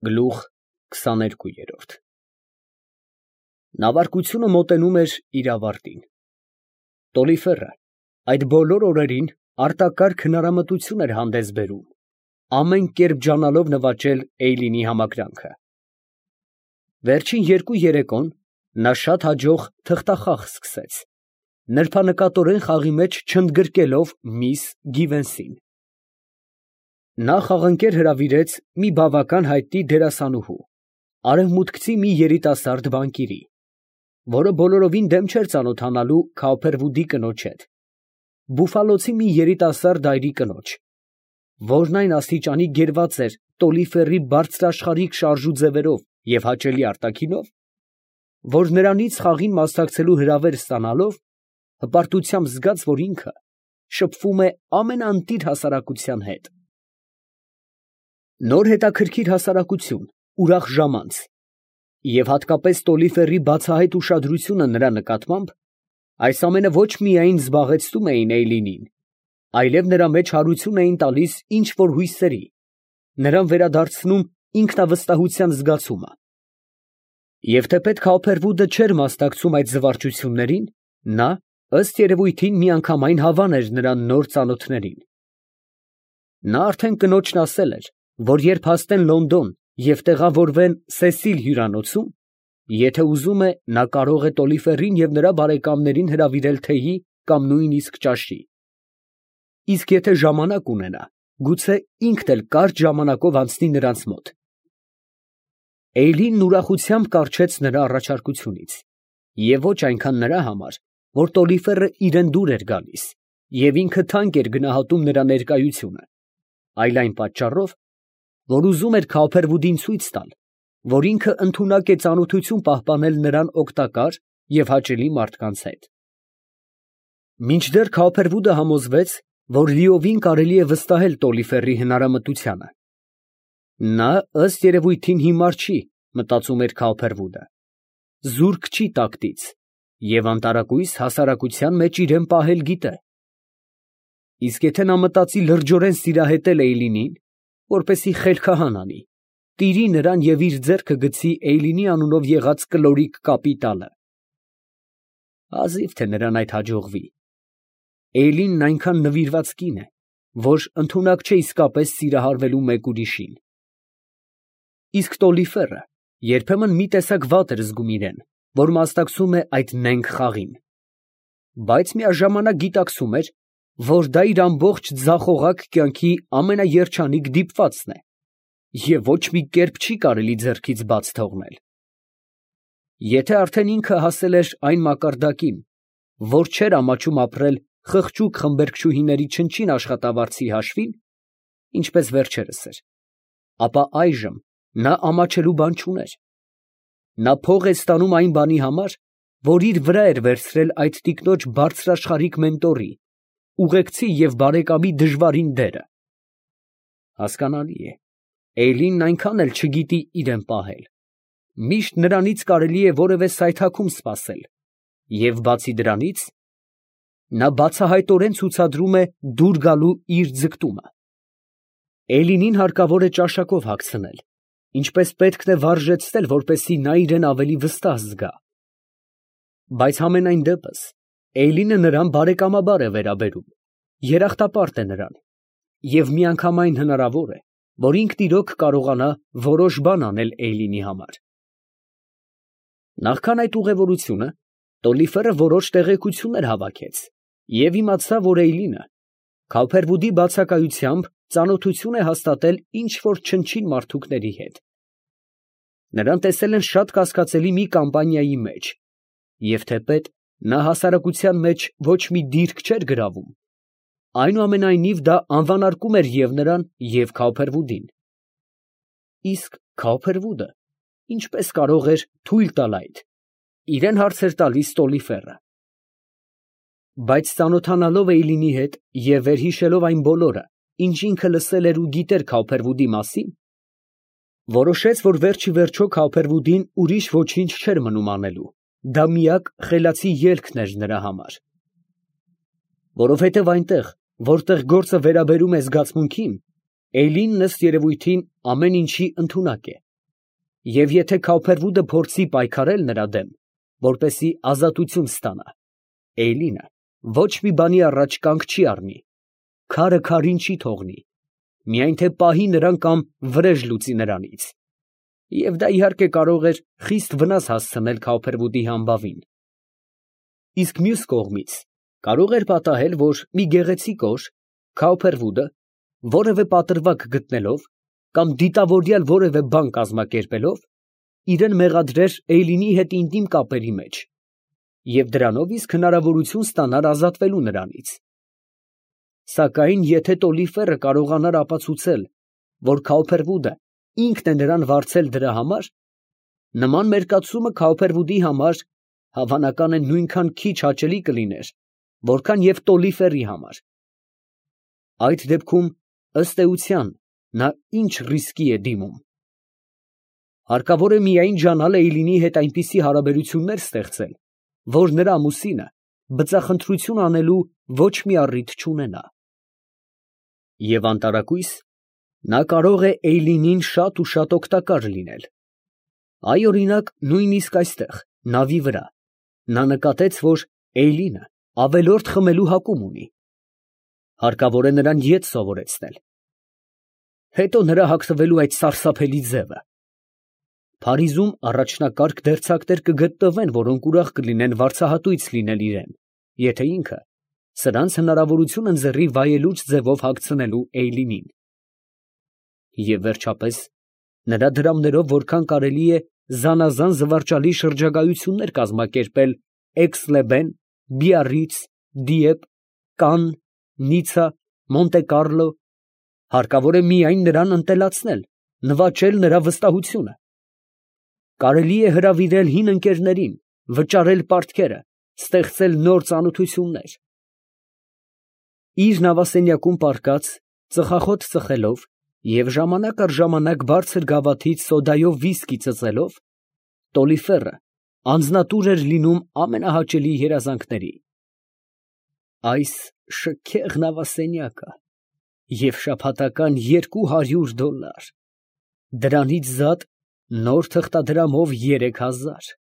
Գլուխ 22 Նավարկությունը մոտենում էր իր ավարտին։ Տոլիֆերը այդ բոլոր օրերին արտակարգ հնարամտություն էր հանդես բերում, ամեն կերպ ջանալով նվաճել Էյլինի համակրանքը։ Վերջին երկու երեկոն նա շատ հաջող թղթախաղ սկսեց, նրբանկատորեն խաղի մեջ չընդգրկելով միս Գիվենսին։ Նա խաղընկեր հրավիրեց մի բավական հայտնի դերասանուհու, արևմուտքցի մի երիտասարդ բանկիրի, որը բոլորովին դեմ չէր ծանոթանալու Քաուփերվուդի կնոջ հետ, բուֆալոցի մի երիտասարդ այրի կնոջ, որն այն աստիճանի գերված էր Տոլիֆերի բարձրաշխարհիկ շարժու ձևերով և հաճելի արտաքինով, որ նրանից խաղին մասնակցելու հրավեր ստանալով, հպարտությամբ զգաց, որ ինքը շփվում է ամենաընտիր հասարակության հետ։ Նոր հետաքրքիր հասարակություն, ուրախ ժամանց, և հատկապես Տոլիֆերի բացահայտ ուշադրությունը նրա նկատմամբ, այս ամենը ոչ միայն զբաղեցնում էին Էյլինին, այլև նրա մեջ հարություն էին տալիս ինչ֊որ հույսերի, նրան վերադարձնում ինքնավստահության զգացումը։ Եվ թեպետ Քաուփերվուդը չէր մասնակցում այդ զվարճություններին, նա, ըստ երևույթին, միանգամայն հավան էր նրան նոր ծանոթներին։ Նա արդեն կնոջն ասել էր, որ երբ հասնեն Լոնդոն և տեղավորվեն Սեսիլ հյուրանոցում, եթե ուզում է, նա կարող է Տոլիֆերին և նրա բարեկամներին հրավիրել թեյի կամ նույնիսկ ճաշի։ Իսկ եթե ժամանակ ունենա, գուցե ինքն էլ կարճ ժամանակով անցնի նրանց մոտ։ Էյլինն ուրախությամբ կառչեց նրա առաջարկությունից, և ոչ այնքան նրա համար, որ Տոլիֆերը իրան դուր էր գալիս, և ինքը թանկ էր գնահատում նրա ներկայությունը, այլ այն պատճառով, որ ուզում էր Քաուփերվուդին ցույց տալ, որ ինքը ընդունակ է ծանոթություն պահպանել նրան օգտակար և հաճելի մարդկանց հետ։ Մինչդեռ Քաուփերվուդը համոզվեց, որ լիովին կարելի է վստահել Տոլիֆերի հնարամտությանը։ Նա, ըստ երևույթին, հիմար չի, մտածում էր Քաուփերվուդը, զուրկ չի տակտից և անտարակույս հասարակության մեջ իրան պահել գիտե։ Իսկ եթե նա մտածի լրջորեն սիրահետել Էյլինին, որպեսզի խելքահան անի, տիրի նրան և իր ձեռքը գցի Էյլինի անունով եղած կլորիկ կապիտալը։ Հազիվ թե նրան այդ հաջողվի։ Էյլինն այնքան նվիրված կին է, որ ընդունակ չէ իսկապես սիրահարվելու մեկ ուրիշին։ Իսկ Տոլիֆերը երբեմն մի տեսակ վատ էր զգում իրան, որ մասնակցում է այդ նենգ խաղին, բայց միաժամանակ գիտակցում էր, որ դա իր ամբողջ ձախողակ կյանքի ամենաերջանիկ դիպվածն է և ոչ մի կերպ չի կարելի ձեռքից բաց թողնել։ Եթե արդեն ինքը հասել էր այն մակարդակին, որ չէր ամաչում ապրել խղճուկ խմբերգչուհիների չնչին աշխատավարձի հաշվին, ինչպես վերջերս էր, ապա այժմ նա ամաչելու բան չուներ։ Նա փող է ստանում այն բանի համար, որ իր վրա էր վերցրել այդ տիկնոջ բարձրաշխարհիկ մենտորի, ուղեկցի և բարեկամի դժվարին դերը։ Հասկանալի է, Էյլինն այնքան էլ չգիտի իրան պահել, միշտ նրանից կարելի է որևէ սայթաքում սպասել, և բացի դրանից, նա բացահայտորեն ցուցադրում է դուր գալու իր ձգտումը։ Էյլինին հարկավոր է ճաշակով հագցնել, ինչպես պետք է վարժեցնել, որպեսզի նա իրան ավելի վստահ զգա։ Բայց համենայն դեպս Էյլինը նրան բարեկամաբար է վերաբերում, երախտապարտ է նրան, և միանգամայն հնարավոր է, որ ինքն իրոք կարողանա որոշ բան անել Էյլինի համար։ Նախքան այդ ուղևորությունը Տոլիֆերը որոշ տեղեկություններ հավաքեց և իմացավ, որ Էյլինը Քաուփերվուդի բացակայությամբ ծանոթություն է հաստատել ինչ֊որ չնչին մարդուկների հետ։ Նրան տեսել են շատ կասկածելի մի կամպանիայի մեջ, և թեպետ նա հասարակության մեջ ոչ մի դիրք չէր գրավում, այնուամենայնիվ դա անվանարկում էր և նրան, և Քաուփերվուդին։ Իսկ Քաուփերվուդը ինչպես կարող էր թույլ տալ այդ, իրան հարց էր տալիս Տոլիֆերը։ Բայց ծանոթանալով Էյլինի հետ և վերհիշելով այն բոլորը, ինչ ինքը լսել էր ու գիտեր Քաուփերվուդի մասին, որոշեց, որ վերջիվերջո Քաուփերվուդին ուրիշ ոչինչ չէր մնում անելու, դա միակ խելացի ելքն էր նրա համար։ Որովհետև այնտեղ, որտեղ գործը վերաբերում է զգացմունքին, Էյլինն ըստ երևույթին ամեն ինչի ընդունակ է, և եթե Քավփերվուդը փորձի պայքարել նրա դեմ, որպեսզի ազատություն ստանա, Էյլինը ոչ մի բանի առաջ կանգ չի առնի, քարը քարին չի թողնի, միայն թե պահի նրան կամ վրեժ լուծի նրանից, և դա իհարկե կարող էր խիստ վնաս հասցնել Քավփերվուդի համբավին։ Իսկ մյուս կողմից կարող էր պատահել, որ մի գեղեցիկ օր Քավփերվուդը որևէ պատրվակ գտնելով կամ դիտավորյալ որևէ բան կազմակերպելով, իրան մեղադրեր Էյլինի հետ ինտիմ կապերի մեջ և դրանով իսկ հնարավորություն ստանար ազատվելու նրանից։ Սակայն եթե Տոլիֆերը կարողանար ապացուցել, որ Քավփերվուդը ինքն է նրան վարձել դրա համար, նման մերկացումը Քավփերվուդի համար հավանական է նույնքան քիչ հաճելի կլիներ, որքան և Տոլիֆերի համար։ Այդ դեպքում, ըստ էության, նա ինչ ռիսկի է դիմում։ Հարկավոր է միայն ջանալ Էյլինի հետ այնպիսի հարաբերություններ ստեղծել, որ նրա ամուսինը բծախնդրություն անելու ոչ մի առիթ չունենա։ Եվ անտարակույս, նա կարող է Էյլինին շատ ու շատ օգտակար լինել։ Այ, օրինակ, նույնիսկ այստեղ, նավի վրա, նա նկատեց, որ Էյլինը ավելորդ խմելու հակում ունի։ Հարկավոր է նրան ետ սովորեցնել։ Հետո նրա հագնվելու այդ սարսափելի ձևը։ Փարիզում առաջնակարգ դերձակներ կգտնվեն, որոնք ուրախ կլինեն վարձահատույց լինել իրան, եթե ինքը սրանց հնարավորություն ընձեռի վայելուչ ձևով հագցնելու Էյլինին։ Եվ վերջապես, նրա դրամներով որքան կարելի է զանազան զվարճալի շրջագայություններ կազմակերպել Էքս֊լե֊Բեն, Բիառրից, Դիեպ, Կանն, Նիցա, Մոնտե Կառլո, հարկավոր է միայն նրան ընտելացնել, նվաճել նրա վստահությունը։ Կարելի է հրավիրել հին ընկերներին, վճարել պարտքերը, ստեղծել նոր ծանոթություններ։ Իր նավասենյակում պառկած, ծխախոտ ծխելով և ժամանակ առ ժամանակ բարձր գավաթից սոդայով վիսկի ծծելով, Տոլիֆերը անձնատուր էր լինում ամենահաճելի երազանքների։ Այս շքեղ նավասենյակը և շաբաթական $200, դրանից զատ նոր թղթադրամով 3000։